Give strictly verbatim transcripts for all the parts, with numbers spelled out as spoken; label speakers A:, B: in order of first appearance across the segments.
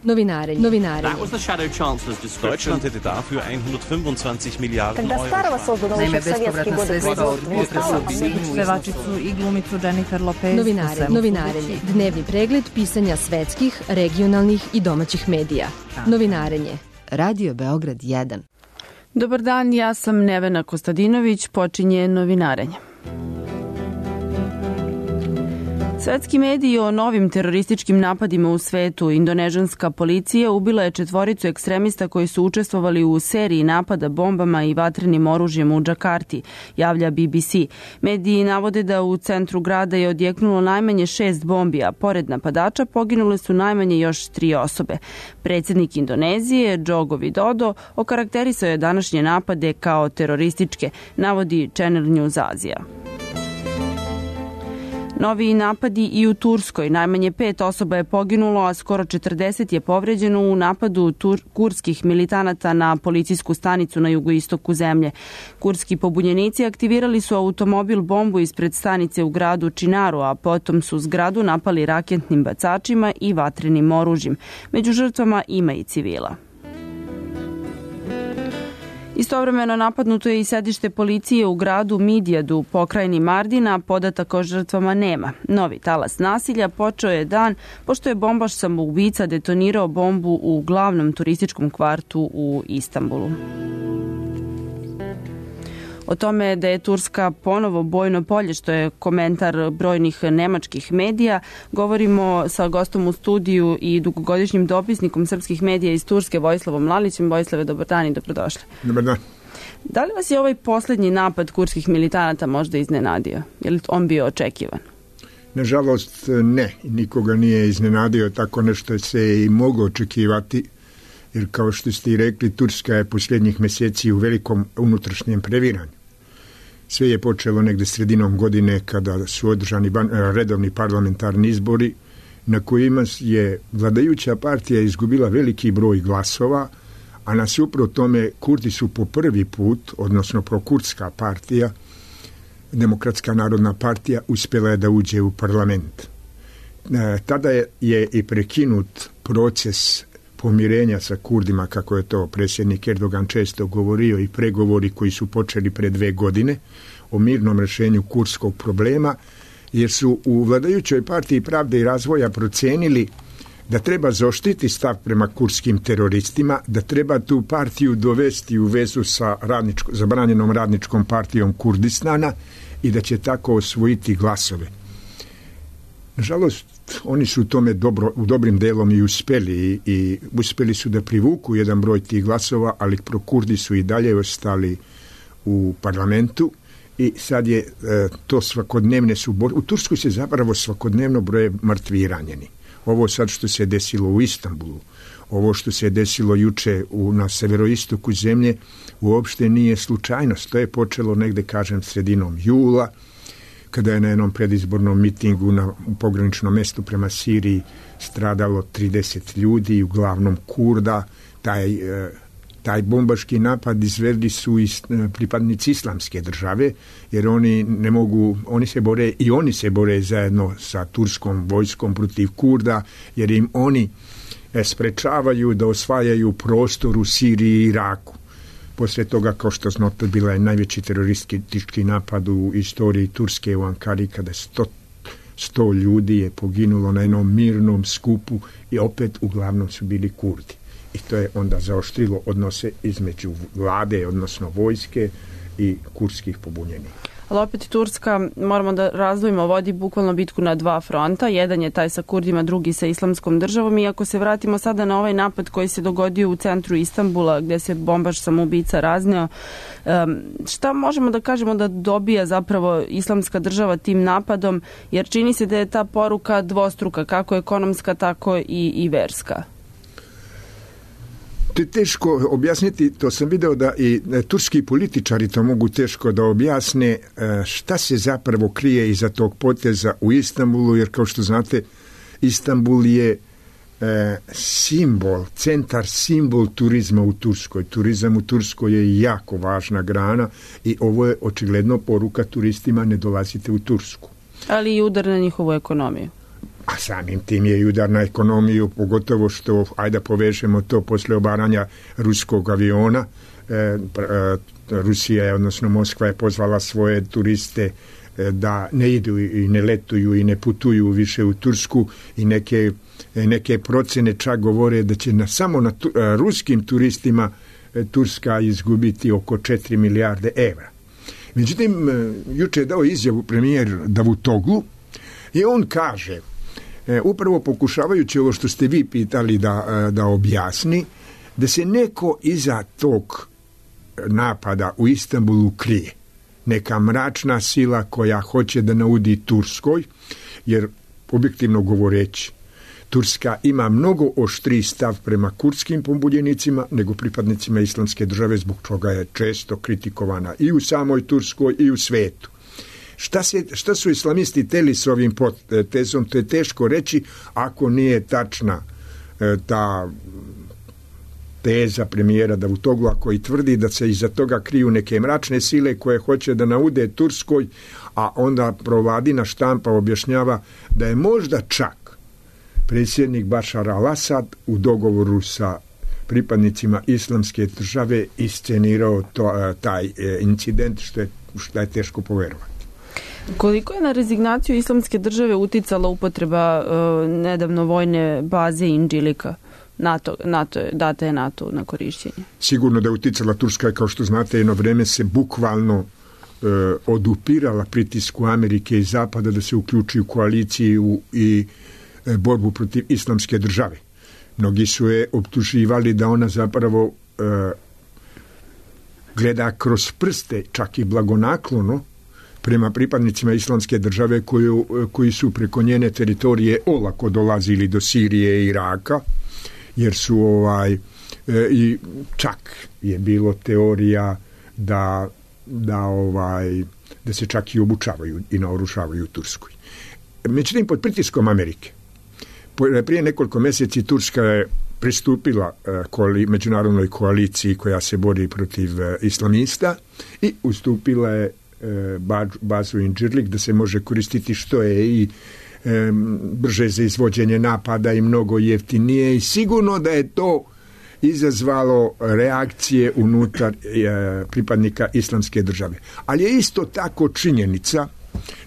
A: Novinarenje. Novinarenje.
B: Deutschland hätte dafür hundertfünfundzwanzig Miliarden
C: Когда старого создан еще в советские годы производства.
D: Pevačicu i glumicu Jennifer Lopez.
A: Novinarenje. Novinarenje. Dnevni pregled pisanja svetskih, regionalnih i domaćih medija. Novinarenje.
E: Radio Beograd jedan.
F: Dobar dan, ja sam Nevena Kostadinović, počinje Novinarenje. Svetski mediji o novim terorističkim napadima u svetu. Indonežanska policija ubila je četvoricu ekstremista koji su učestvovali u seriji napada bombama i vatrenim oružjem u Džakarti, javlja B B C. Mediji navode da u centru grada je odjeknulo najmanje šest bombi, a pored napadača poginule su najmanje još tri osobe. Predsjednik Indonezije, Joko Widodo, okarakterisao je današnje napade kao terorističke, navodi Channel News Azija. Novi napadi i u Turskoj. Najmanje pet osoba je poginulo, a skoro četrdeset je povređeno u napadu tur- kurskih militanata na policijsku stanicu na jugoistoku zemlje. Kurski pobunjenici aktivirali su automobil bombu ispred stanice u gradu Činaru, a potom su zgradu napali raketnim bacačima i vatrenim oružjem. Među žrtvama ima i civila. Istovremeno napadnuto je i sedište policije u gradu Midijadu, pokrajini Mardina, podataka o žrtvama nema. Novi talas nasilja počeo je dan pošto je bombaš samoubica detonirao bombu u glavnom turističkom kvartu u Istanbulu. O tome da je Turska ponovo bojno polje, što je komentar brojnih nemačkih medija, govorimo sa gostom u studiju i dugogodišnjim dopisnikom srpskih medija iz Turske, Vojislavom Lalićem. Vojislave, dobar dan i dobrodošli.
G: Dobar dan.
F: Da li vas je ovaj posljednji napad kurskih militanata možda iznenadio? Je li on bio očekivan?
G: Nažalost ne, nikoga nije iznenadio, tako nešto se i moglo očekivati. Jer kao što ste i rekli, Turska je posljednjih mjeseci u velikom unutrašnjem previranju. Sve je počelo negde sredinom godine kada su održani redovni parlamentarni izbori na kojima je vladajuća partija izgubila veliki broj glasova, a nasuprot tome Kurdi su po prvi put, odnosno prokurdska partija, Demokratska narodna partija, uspjela je da uđe u parlament. Tada je, je i prekinut proces pomirenja sa Kurdima, kako je to predsjednik Erdogan često govorio, i pregovori koji su počeli pre dve godine o mirnom rješenju kurdskog problema, jer su u vladajućoj partiji Pravde i razvoja procenili da treba zaoštriti stav prema kurdskim teroristima, da treba tu partiju dovesti u vezu sa radničko, zabranjenom radničkom partijom Kurdistana i da će tako osvojiti glasove. Nažalost, oni su u tome dobro, u dobrim delom i uspeli i, i uspeli su da privuku jedan broj tih glasova, ali prokurdi su i dalje ostali u parlamentu i sad je e, to svakodnevne su bor... U Turskoj se zapravo svakodnevno broje mrtvi i ranjeni. Ovo sad što se desilo u Istanbulu, ovo što se desilo juče u, na severoistoku zemlje, uopšte nije slučajnost. To je počelo negde, kažem, sredinom jula, kada je na jednom predizbornom mitingu na pograničnom mestu prema Siriji stradalo trideset ljudi, uglavnom Kurda. Taj, taj bombaški napad izvedli su i pripadnici islamske države, jer oni ne mogu, oni se bore i oni se bore zajedno sa turskom vojskom protiv Kurda, jer im oni sprečavaju da osvajaju prostor u Siriji i Iraku. Poslije toga, kao što znate, bila je najveći teroristički napad u istoriji Turske u Ankari, kada sto, sto ljudi je poginulo na jednom mirnom skupu i opet uglavnom su bili Kurdi. I to je onda zaoštrilo odnose između vlade, odnosno vojske i kurdskih pobunjenika.
F: Ali opet Turska, moramo da razdvojimo, vodi bukvalno bitku na dva fronta. Jedan je taj sa Kurdima, drugi sa Islamskom državom. I ako se vratimo sada na ovaj napad koji se dogodio u centru Istanbula, gdje se bombaš samoubica razneo, šta možemo da kažemo da dobija zapravo Islamska država tim napadom? Jer čini se da je ta poruka dvostruka, kako ekonomska, tako i, i verska.
G: To je teško objasniti, to sam video da i turski političari to mogu teško da objasne šta se zapravo krije iza tog poteza u Istanbulu, jer kao što znate, Istanbul je e, simbol, centar, simbol turizma u Turskoj. Turizam u Turskoj je jako važna grana i ovo je očigledno poruka turistima, ne dolazite u Tursku.
F: Ali i udar na njihovu ekonomiju.
G: a samim tim je i udar na ekonomiju, pogotovo što, ajde povežemo to posle obaranja ruskog aviona. E, e, Rusija je, odnosno Moskva je pozvala svoje turiste e, da ne idu i ne letuju i ne putuju više u Tursku i neke, neke procene čak govore da će na, samo na tu, e, ruskim turistima e, Turska izgubiti oko četiri milijarde evra. Međutim, e, juče je dao izjavu premijer Davutoglu i on kaže, e, upravo pokušavajući ovo što ste vi pitali da, da objasni, da se neko iza tog napada u Istanbulu krije. Neka mračna sila koja hoće da naudi Turskoj, jer objektivno govoreći, Turska ima mnogo oštriji stav prema kurdskim pobunjenicima nego pripadnicima Islamske države, zbog čega je često kritikovana i u samoj Turskoj i u svetu. Šta, se, šta su islamisti teli s ovim potezom, to je teško reći ako nije tačna e, ta teza premijera Davutogla koji tvrdi da se iza toga kriju neke mračne sile koje hoće da naude Turskoj, a onda provladina štampa objašnjava da je možda čak predsjednik Bašar al-Asad u dogovoru sa pripadnicima Islamske države iscenirao to, taj incident, što je, što je teško poverovati.
F: Koliko je na rezignaciju Islamske države uticala upotreba uh, nedavno vojne baze Indžilika? NATO, NATO je, data je NATO na korišćenje.
G: Sigurno da je uticala. Turska, kao što znate, jedno vreme se bukvalno e, odupirala pritisku Amerike i Zapada da se uključi u koaliciju i e, borbu protiv Islamske države. Mnogi su je optuživali da ona zapravo e, gleda kroz prste, čak i blagonaklono, prema pripadnicima Islamske države koju, koji su preko njene teritorije olako dolazili do Sirije i Iraka, jer su ovaj, e, i čak je bilo teorija da, da, ovaj, da se čak i obučavaju i naoružavaju u Turskoj. Međutim, pod pritiskom Amerike, prije nekoliko mjeseci Turska je pristupila koali, međunarodnoj koaliciji koja se bori protiv e, islamista i ustupila je e, bazu Incirlik da se može koristiti, što je i e, brže za izvođenje napada i mnogo jeftinije, i sigurno da je to izazvalo reakcije unutar e, pripadnika Islamske države. Ali je isto tako činjenica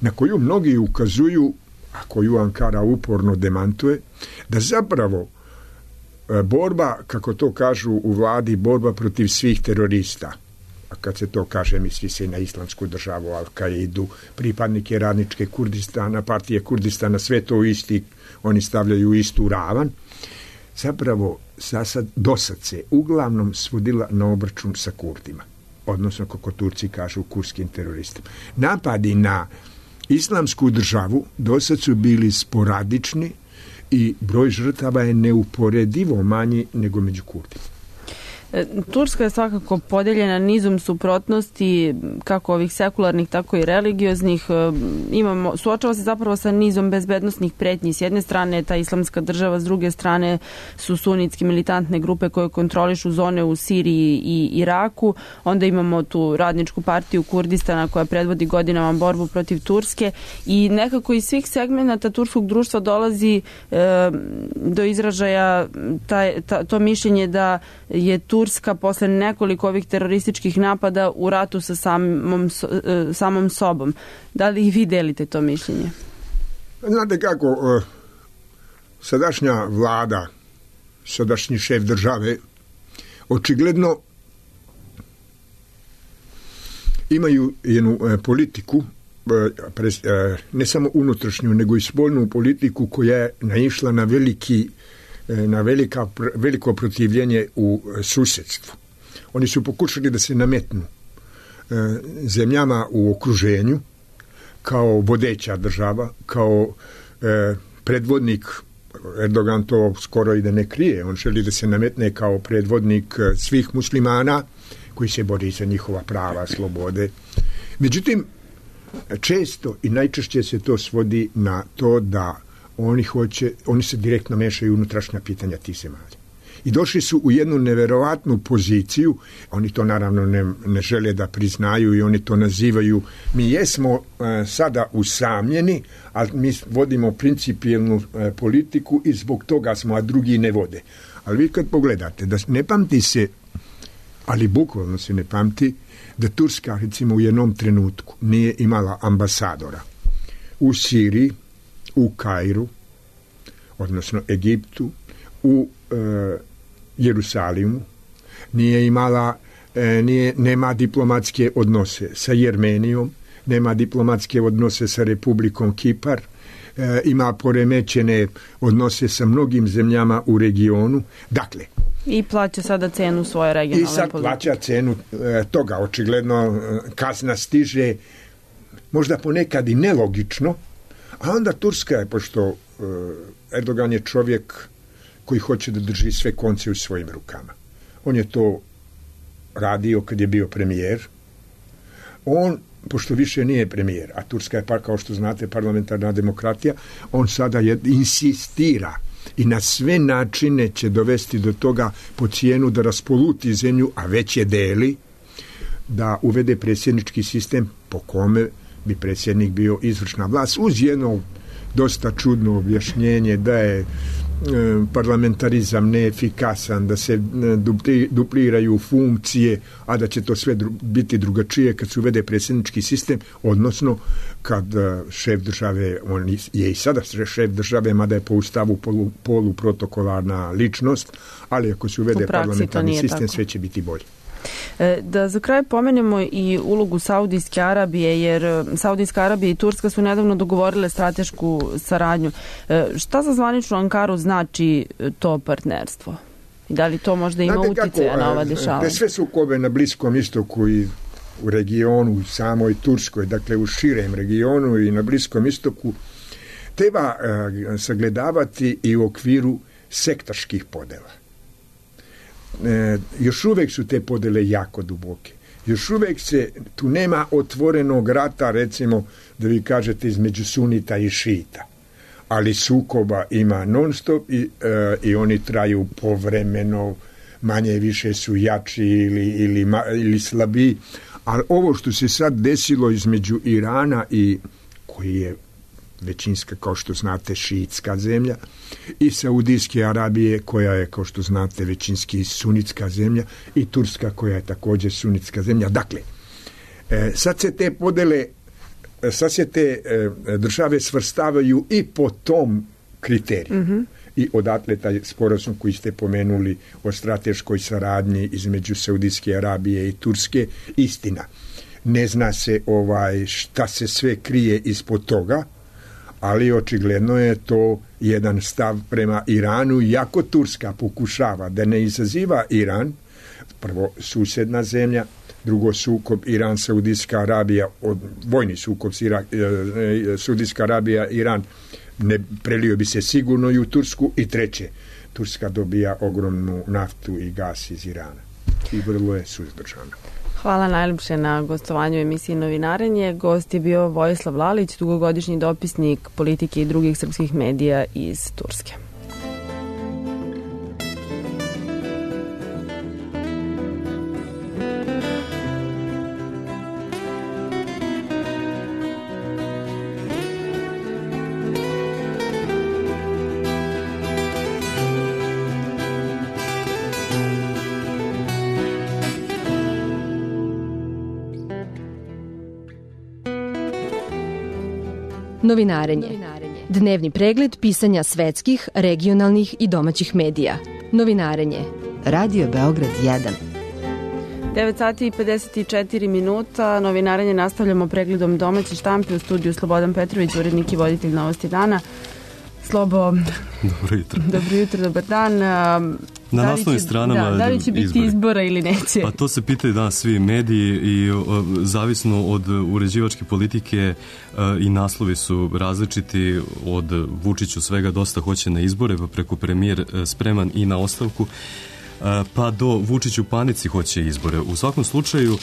G: na koju mnogi ukazuju, a koju Ankara uporno demantuje, da zapravo e, borba, kako to kažu u vladi, borba protiv svih terorista, a kad se to kaže misli se na Islamsku državu, Al-Kaidu, pripadnike radničke Kurdistana, partije Kurdistana, sve to isti, oni stavljaju u istu ravan, zapravo zasad, dosad se uglavnom svodila na obračun sa Kurdima, odnosno kako Turci kažu kurdskim teroristima. Napadi na Islamsku državu dosad su bili sporadični i broj žrtava je neuporedivo manji nego među Kurdima.
F: Turska je svakako podeljena nizom suprotnosti, kako ovih sekularnih, tako i religioznih. Imamo, suočava se zapravo sa nizom bezbednosnih pretnji. S jedne strane je ta Islamska država, s druge strane su sunitske militantne grupe koje kontrolišu zone u Siriji i Iraku. Onda imamo tu radničku partiju Kurdistana koja predvodi godinama borbu protiv Turske, i nekako iz svih segmenata turskog društva dolazi e, do izražaja taj, ta, to mišljenje da je tu Turska posle nekoliko ovih terorističkih napada u ratu sa samom, samom sobom. Da li i vi delite to mišljenje?
G: Znate kako, sadašnja vlada, sadašnji šef države, očigledno imaju jednu politiku, ne samo unutrašnju, nego i spoljnu politiku koja je naišla na veliki na velika, veliko protivljenje u susjedstvu. Oni su pokušali da se nametnu e, zemljama u okruženju kao vodeća država, kao e, predvodnik. Erdogan to skoro i da ne krije. On želi da se nametne kao predvodnik svih muslimana koji se bori za njihova prava, slobode. Međutim, često i najčešće se to svodi na to da Oni hoće, oni se direktno mešaju u unutrašnja pitanja tih zemalja. I došli su u jednu neverovatnu poziciju, oni to naravno ne, ne žele da priznaju i oni to nazivaju, mi jesmo e, sada usamljeni, ali mi vodimo principijelnu e, politiku i zbog toga smo, a drugi ne vode. Ali vi kad pogledate, da ne pamti se, ali bukvalno se ne pamti, da Turska recimo u jednom trenutku nije imala ambasadora u Siriji, u Kairu, odnosno Egiptu, u e, Jerusalimu, nije imala, e, nije, nema diplomatske odnose sa Jermenijom, nema diplomatske odnose sa Republikom Kipar, e, ima poremećene odnose sa mnogim zemljama u regionu. Dakle,
F: i plaća sada cenu svoje regionalne politike.
G: I sad plaća cenu e, toga. Očigledno e, kazna stiže možda ponekad i nelogično, a onda Turska je, pošto e, Erdogan je čovjek koji hoće da drži sve konce u svojim rukama. On je to radio kad je bio premijer. On, pošto više nije premijer, a Turska je, pa, kao što znate, parlamentarna demokratija, on sada je, insistira i na sve načine će dovesti do toga po cijenu da raspoluti zemlju, a već je deli, da uvede predsjednički sistem po kome bi predsjednik bio izvršna vlast, uz jedno dosta čudno objašnjenje da je parlamentarizam neefikasan, da se dupliraju funkcije, a da će to sve biti drugačije kad se uvede predsjednički sistem, odnosno kad šef države, on je i sada šef države, mada je po ustavu polu, poluprotokolarna ličnost, ali ako se uvede parlamentarni sistem, tako, sve će biti bolje.
F: Da za kraj pomenemo i ulogu Saudijske Arabije, jer Saudijska Arabija i Turska su nedavno dogovorile stratešku saradnju. Šta za zvaničnu Ankaru znači to partnerstvo? I da li to možda ima uticaja na ova dešavanja?
G: Sve sukobe na Bliskom istoku i u regionu, u samoj Turskoj, dakle u širem regionu i na Bliskom istoku, treba sagledavati i u okviru sektaških podela. E, još uvijek su te podele jako duboke. Još uvijek se, tu nema otvorenog rata, recimo, da vi kažete, između sunita i šita. Ali sukoba ima non stop i, e, i oni traju povremeno, manje više su jači ili, ili, ili slabiji. Ali ovo što se sad desilo između Irana i, koji je većinska, kao što znate, šiitska zemlja, i Saudijske Arabije, koja je, kao što znate, većinski sunitska zemlja, i Turska, koja je također sunitska zemlja. Dakle, e, sad se te podele, sad se te e, države svrstavaju i po tom kriteriju. Mm-hmm. I odatle taj sporazum koji ste pomenuli o strateškoj saradnji između Saudijske Arabije i Turske, istina. Ne zna se ovaj šta se sve krije ispod toga, ali očigledno je to jedan stav prema Iranu, iako Turska pokušava da ne izaziva Iran, prvo susjedna zemlja, drugo sukob Iran, Saudijska Arabija, od, vojni sukob Ira, e, Saudijska Arabija, Iran, ne prelio bi se sigurno i u Tursku, i treće, Turska dobija ogromnu naftu i gas iz Irana i vrlo je suzdržana.
F: Hvala najljepše na gostovanju u emisiji Novinarenje. Gost je bio Vojislav Lalić, dugogodišnji dopisnik politike i drugih srpskih medija iz Turske.
A: Novinarenje. Dnevni pregled pisanja svetskih, regionalnih i domaćih medija. Novinarenje.
E: Radio Beograd jedan.
F: devet sati i pedeset četiri minuta. Novinarenje nastavljamo pregledom domaće štampe. U studiju Slobodan Petrović, urednik i voditelj Novosti dana. Slobo,
H: dobro jutro.
F: Dobro jutro, dobar dan.
H: Na naslovnim stranama
F: da, da li će biti izbori? Izbora ili neće?
H: Pa to se pitaju danas svi mediji i o, zavisno od uređivačke politike o, i naslovi su različiti. Od Vučiću svega dosta hoće na izbore, pa preko premijer spreman i na ostavku, pa do Vučiću panici hoće izbore. U svakom slučaju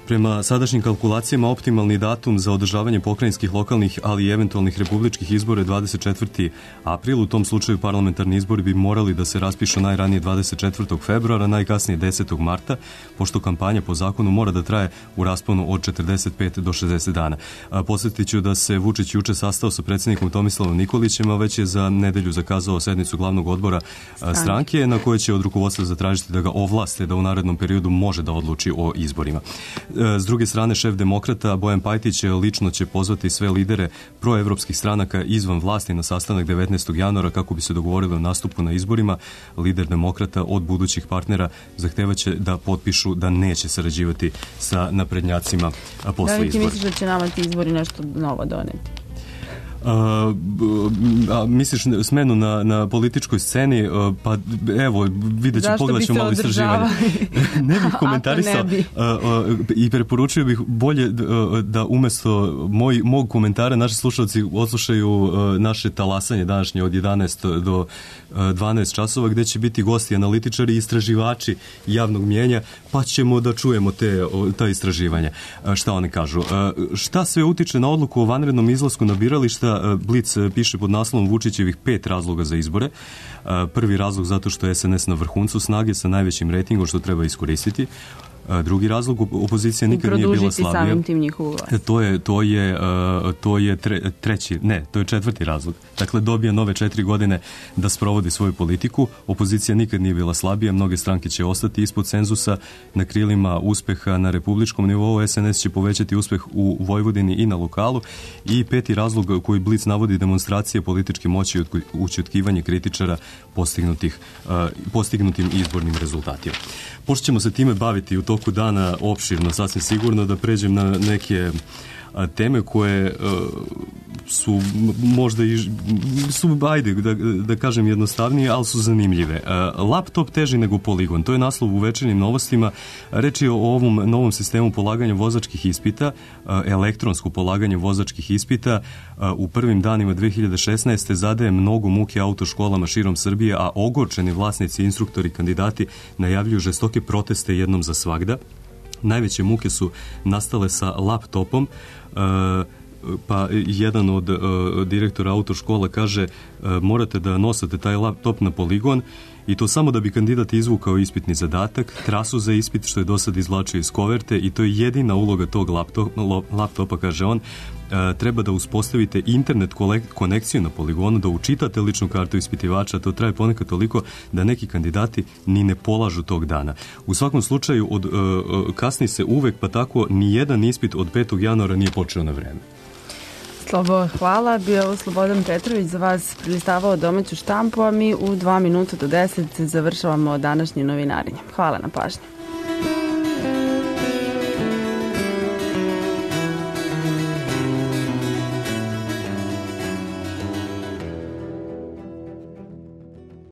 H: Prema sadašnjim kalkulacijama optimalni datum za održavanje pokrajinskih, lokalnih, ali i eventualnih republičkih izbora je dvadeset četvrti april. U tom slučaju parlamentarni izbori bi morali da se raspišu najranije dvadeset četvrtog februara, najkasnije desetog marta, pošto kampanja po zakonu mora da traje u rasponu od četrdeset pet do šezdeset dana. Podsjetit ću da se Vučić juče sastao sa predsjednikom Tomislavom Nikolićem, a već je za nedelju zakazao sednicu glavnog odbora stranke, na kojoj će od rukovodstva zatražiti da ga ovlaste da u narednom periodu može da odluči o izborima. S druge strane, šef demokrata Bojan Pajtić lično će pozvati sve lidere proevropskih stranaka izvan vlasti na sastanak devetnaestog januara kako bi se dogovorili o nastupu na izborima. Lider demokrata od budućih partnera zahtevaće da potpišu da neće sarađivati sa naprednjacima posle
F: izbora. Da li ti
H: izbora.
F: misliš da će nama ti izbori nešto novo doneti?
H: A, a, misliš smenu na, na političkoj sceni, a, pa evo, vidjet ću, pogledat ću malo istraživanje. Ne bih komentarisao
F: ne bi.
H: a, a, i preporučio bih bolje a, da umesto moj, mog komentara naši slušalci odslušaju a, naše talasanje današnje od jedanaest do dvanaest časova, gde će biti gosti, analitičari i istraživači javnog mjenja, pa ćemo da čujemo te, ta istraživanja. A, šta oni kažu? A, šta sve utiče na odluku o vanrednom izlasku na birališta? Blic piše pod naslovom Vučićevih pet razloga za izbore. Prvi razlog zato što je es en es na vrhuncu snage sa najvećim rejtingom što treba iskoristiti. Drugi razlog, opozicija nikad nije bila slabija.
F: I produžiti samim tim njihovu vlast.
H: To je, to je, to je tre, treći, ne, to je četvrti razlog. Dakle, dobija nove četiri godine da sprovodi svoju politiku. Opozicija nikad nije bila slabija, mnoge stranke će ostati ispod cenzusa na krilima uspeha na republičkom nivou. es en es će povećati uspeh u Vojvodini i na lokalu. I peti razlog koji Blic navodi, demonstracije političke moći i ućutkivanje kritičara postignutih, postignutim izbornim rezultatima. Pošto ćemo se time baviti u toku dana opširno, sasvim sigurno, da pređem na neke teme koje su možda i su, ajde, da, da kažem jednostavnije, ali su zanimljive. Laptop teži nego poligon, to je naslov u Večernjim novostima. Reč je o ovom novom sistemu polaganja vozačkih ispita, elektronsko polaganje vozačkih ispita. U prvim danima dve hiljade šesnaeste. zadaje mnogo muke autoškolama širom Srbije, a ogorčeni vlasnici, instruktori, kandidati najavljuju žestoke proteste jednom za svagda. Najveće muke su nastale sa laptopom, pa jedan od direktora autoškola kaže morate da nosate taj laptop na poligon i to samo da bi kandidat izvukao ispitni zadatak, trasu za ispit što je do sad izvlačio iz koverte i to je jedina uloga tog laptopa, laptopa kaže on. Treba da uspostavite internet konekciju na poligonu, da učitate ličnu kartu ispitivača, to traje ponekad toliko da neki kandidati ni ne polažu tog dana. U svakom slučaju od, kasni se uvek, pa tako ni jedan ispit od petog januara nije počeo na vreme.
F: Slobo, hvala. Bio je Slobodan Petrović za vas prilistavao domaću štampu, a mi u dva minuta do deset završavamo današnje novinarenje. Hvala na pažnji.